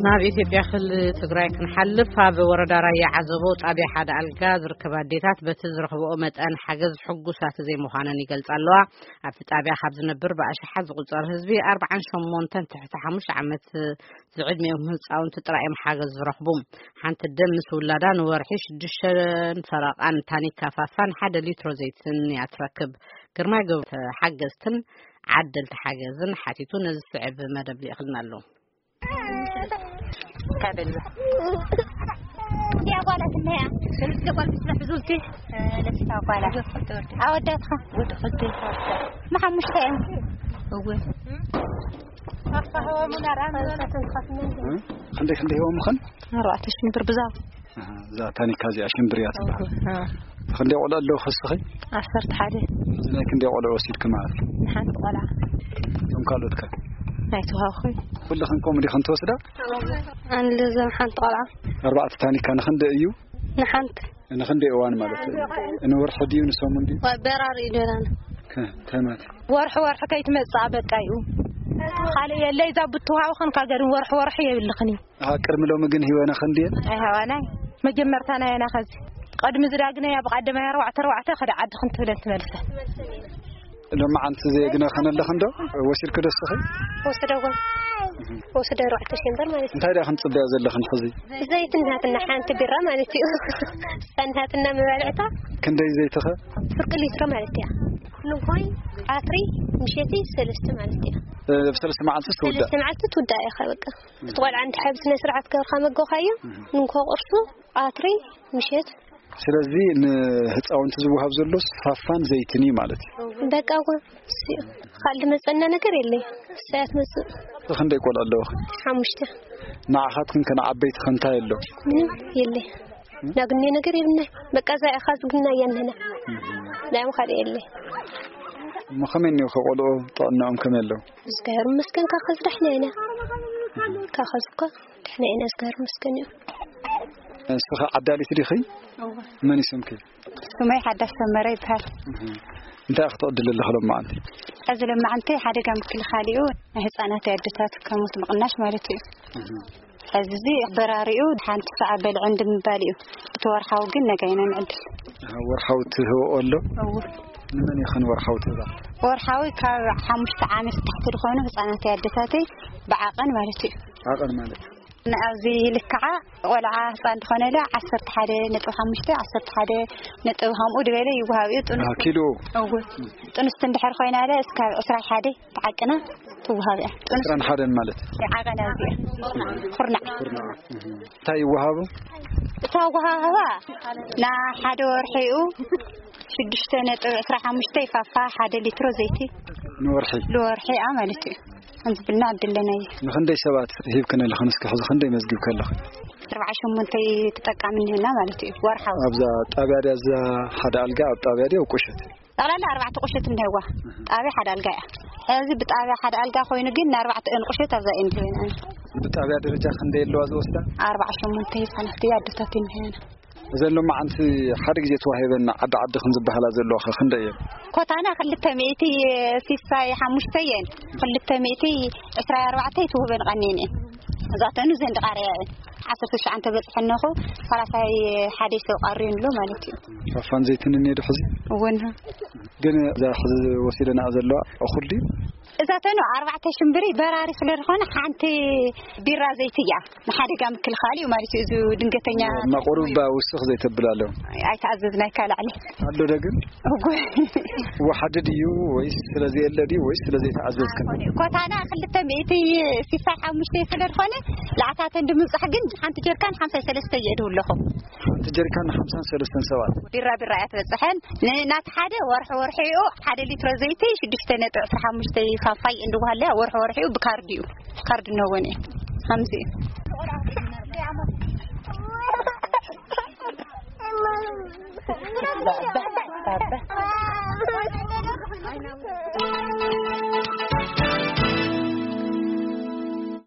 ናብ ኢትዮጵያ ክልል ትግራይ ክንሓልፍ፣ ኣብ ወረዳ ራያ ዓዘቦ ጣብያ ሓደ ኣልጋ ዝርከባ ኣዴታት በቲ ዝረኽብኦ መጠን ሓገዝ ሕጉሳት ዘይምዃነን ይገልጻ ኣለዋ። ኣብቲ ጣብያ ካብ ዝነብር ብኣሽሓት ዝቑጸር ህዝቢ ኣርባዓን ሸሞንተን ትሕቲ ሓሙሽተ ዓመት ዝዕድሚኦም ህፃውንቲ ጥራይ እዮም ሓገዝ ዝረኽቡ። ሓንቲ ኣደ ምስ ውላዳ ንወርሒ ሽዱሽተን ፈረቓን ታኒካ ፋፋን ሓደ ሊትሮ ዘይትን እያ ትረክብ። ግርማይ ገብሩ ሓገዝትን ዓደልቲ ሓገዝን ሓቲቱ ነዚ ዝስዕብ መደብ ልኢኽልና ኣሎ። እዚኣ ጓላት እነያ። ሰለስተ ጓል ምስ ዝሕዙ እቲ ሰለስተ ጓላት። ኣወዳትኻ? ወዲ ክልተ። ንሓሙሽተ እዮም። እወ። ክንደይ ክንደይ ሂቦምኽን? ኣርባዕተ ሽንብር ብዛ። ኣሃ፣ እዛ ታኒካ እዚኣ ሽንብር እያ ትበሃል። ኣሃ። ክንደይ ቆልዑ ኣለዉ ከስኺ? ዓሰርተ ሓደ። ናይ ክንደይ ቆልዑ ወሲድኪ ማለት እዩ? ንሓንቲ ቆልዓ። እቶም ካልኦት ከ? ናይ ተዋህኹ። ኩልኽን ከምኡ ዲኽን ትወስዳ? ኣነ ለዘም ሓንቲ ቆልዓ። ኣርባዕተ ታኒካ ንኽንደይ እዩ? ንሓንቲ። ንኽንደይ እዋን ማለት እዩ? ንወርሒ ድዩ ንሰሙን ድዩ? ዋ፣ በራሪ እዩ ደራና። ከ-፣ እንታይ ማለት? ወርሒ ወርሒ ከይትመጽኣ በቃ እዩ። ካልእ የለይ፣ እዛ ብትውሃብኽን ካገድን ወርሒ ወርሒ የብልኽን እዩ። ኣሃ፣ ቅድሚ ሎሚ ግን ሂወና ክንድየን? ኣይሃባናይ። መጀመርታ ናየና ኸዚ። ቅድሚ ዝዳግነያ ብቐደማይ ኣርባዕተ ኣርባዕተ ከደ ዓዲ ክንትብለን ትመልሰ። ሎማዓንቲ ዘየግነ ኸነለኽን ዶ? ወሲድኪ ዶ እስኺ? ወሰደዎ። ወሰደ ኣርባዕተ ሺህ እምበር ማለት እዩ። እንታይ ደኣ ክንጽበያ ዘለኽን ሕዚ? ዘይት ናትና ሓንቲ ቢራ ማለት እዩ። እሳ ናትና መባልዕታ። ክንደይ ዘይትኸ? ፍርቂ ሊትሮ ማለት እያ። ንኾይ፣ ኣትሪ፣ ምሸቲ ሰለስተ ማለት እያ። እ፣ ብሰለስተ መዓልቲ ትውዳእ? ሰለስተ መዓልቲ ትውዳእ እያ በቃ። እቲ ቆልዓ እንድሕር ብስነ ስርዓት ገብርካ መገብካዮ፣ እህ። ንግሆ ቁርሱ፣ ኣትሪ፣ ምሸት። ስለዚ ንህፃውንቲ ዝወሃብ ዘሎ ፋፋን ዘይትን እዩ ማለት እዩ። በቃ እኮ እሱ እዩ። ካልእ ዝመፀና ነገር የለይ። እሳያት መፅእ። ክንደይ ቆልዑ ኣለውኺ? ሓሙሽተ። ንዓኻትክን ከ ንዓበይቲ ከ እንታይ ኣሎ? ምንም የለይ። ናግኔ ነገር የብልናይ። በቃ እዛ ኢኻ ዝግና እያ ንህና። ዳም ካልእ የለይ። እሞ ከመይ እኒኦኸ ቆልዑ ጥዕናኦም ከመይ ኣለዉ? እግዚኣብሔር ይመስገን፣ ካብ ኸዚ ደሕና ኢና። ካብ ኸዚ እኳ ደሕና ኢና፣ እግዚኣብሔር ይመስገን እዩ። ንስኺ ዓዳሊት ዲኺ? እወ። መን እዩ ስምኪ? ስመይ ሓዳሽ ሰመረ ይበሃል። እህ። እንታይ ኢኺ ትቕድሊ ኣለኺ ሎማዓንቲ? ሕዚ ሎማዓንቲ ሓደጋ ምክልኻል እዩ፣ ናይ ህፃናት ኣደታት ከሞት ምቕናሽ ማለት እዩ። እህ። ሕዚ እዚ በራሪኡ ሓንቲ ሰዓ በልዕን ድምባል እዩ። እቲ ወርሓዊ ግን ነጋ ኢና ንዕድል። ኣሃ፣ ወርሓዊ ትህብኦ ኣሎ? እወ። ንመን ኢኽን ወርሓዊ ትህባ? ወርሓዊ ካብ ሓሙሽተ ዓመት ታሕቲ ዝኾኑ ህፃናት ኣደታተይ ብዓቐን ማለት እዩ። ዓቐን ማለት? ንኣብዚ ልክዓ ቆልዓ ህፃን ዝኾነለ ዓሰርተ ሓደ ነጥቢ ሓሙሽተ፣ ዓሰርተ ሓደ ነጥቢ ከምኡ ድበለ ይወሃብ እዩ። ጥኑስ ኣሃ፣ ኪሎ? እወ። ጥኑስቲ እንድሕር ኮይናለ እስካብ ዕስራ ሓደ ተዓቅና ትወሃብ እያ። ጥኑስ ዕስራን ሓደን ማለት? ዓቐን ኣብዚኣ። ኩርናዕ። ኩርናዕ። እህ። እንታይ ይወሃቡ? እታ ወሃህባ ንሓደ ወርሒ እዩ ሽዱሽተ ነጥቢ ዕስራ ሓሙሽተ ፋፋ፣ ሓደ ሊትሮ ዘይቲ። ንወርሒ? ንወርሒ፣ ኣ፣ ማለት እዩ። ከምዚ ብልና ዕድል ኣለና እዩ። ንኽንደይ ሰባት ሂብክን ኣለኽን? እስኪ ሕዚ ክንደይ መዝጊብኪ ኣለኽን? ኣርባዓ ሸሞንተ ተጠቃሚ እኒሀና ማለት እዩ፣ ወርሓዊ። ኣብዛ ጣብያ ድያ፣ እዛ ሓደ ኣልጋ ኣብ ጣብያ ድያ፣ ኣብ ቁሸት? ጠቕላላ ኣርባዕተ ቁሸት እኒሀዋ። ጣብያ ሓደ ኣልጋ እያ። ሕዚ ብጣብያ ሓደ ኣልጋ ኮይኑ ግን ንኣርባዕተ እን ቁሸት ኣብዛ እየን ድህበና። ብጣብያ ደረጃ ክንደይ ኣለዋ ዝወስዳ? ኣርባዓ ሸሞንተ ህፃናት እያ ኣደታት እኒሀና። እዘን ሎማዓንቲ ሓደ ግዜ ተዋሂበን ዓዲ ዓዲ ከም ዝበሃላ ዘለዋ ኸ ክንደይ እየን? ኮታና ክልተ ሚእቲ ሲሳይ ሓሙሽተ እየን፣ ክልተ ሚእቲ ዕስራ ኣርባዕተ ትውህበን ቀኒየን እየን። እዛተኑ ዘን ድቓርያ እየን። ዓሰርተ ትሽዓተ በፅሐን ነኹ፣ ሰላሳይ ሓደ ሰብ ቀርዩ ኣሎ ማለት እዩ። ፋፋን ዘይትን እኒኦ ዶ ሕዚ? እወን። ግን እዛ ሕዚ ወሲደና ዘለዋ እኹል ድዩ? እዛተኑ ኣርባዕተ ሽምብሪ በራሪ ስለ ዝኾነ ሓንቲ ቢራ ዘይቲ እያ። ንሓደጋ ምክልኻል እዩ ማለት እዩ። እዚ ድንገተኛ መቑሩባ ውስኽ ዘይተብል ኣሎ። ኣይተኣዘዝናይ ካብ ላዕሊ። ኣሎ ዶ ግን? እጉ። ወሓዲ ድዩ ወይስ ስለ ዘየለ ድዩ ወይስ ስለ ዘይተኣዘዝክን? ኮታና ክልተ ሚእቲ ስሳ ሓሙሽተ ስለ ዝኾነ፣ ላዕታተን ንምብጻሕ ግን ሓንቲ ጀርካን ሓምሳ ሰለስተ እየ ድብለኹ። ሓንቲ ጀሪካን ንሓምሳን ሰለስተን ሰባት። ቢራ ቢራ እያ ትበጽሐን። ን-፣ ናቲ ሓደ ወርሒ ወርሒ እዩ። ሓደ ሊትሮ ዘይቲ ሽዱሽተ ነጥቢ ዕስራ ሓሙሽተ ፋፋይ እንድዋሃለ ወርሒ ወርሒ እዩ። ብካርድ እዩ። ካርድ ነወን እዩ። ሃምዚ እዩ።